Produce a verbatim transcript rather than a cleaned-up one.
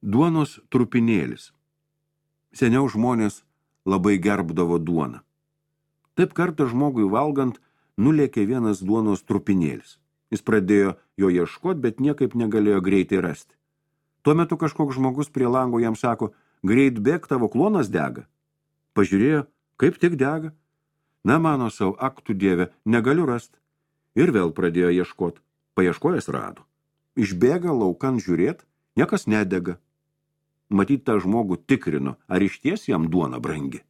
Duonos trupinėlis. Seniau žmonės labai gerbdavo duoną. Taip kartą žmogui valgant nulėkė vienas duonos trupinėlis. Jis pradėjo jo ieškoti, bet niekaip negalėjo greitai rasti. Tuo metu kažkoks žmogus prie lango jam sako, greit bėk, tavo klonas dega. Pažiūrėjo, kaip tik dega. Na, mano savo, ak tu Dieve, negaliu rasti. Ir vėl pradėjo ieškoti. Paieškojęs rado. Išbėga laukan žiūrėt, niekas nedega. Matyt, tą žmogų tikrino, ar išties jam duona brangi.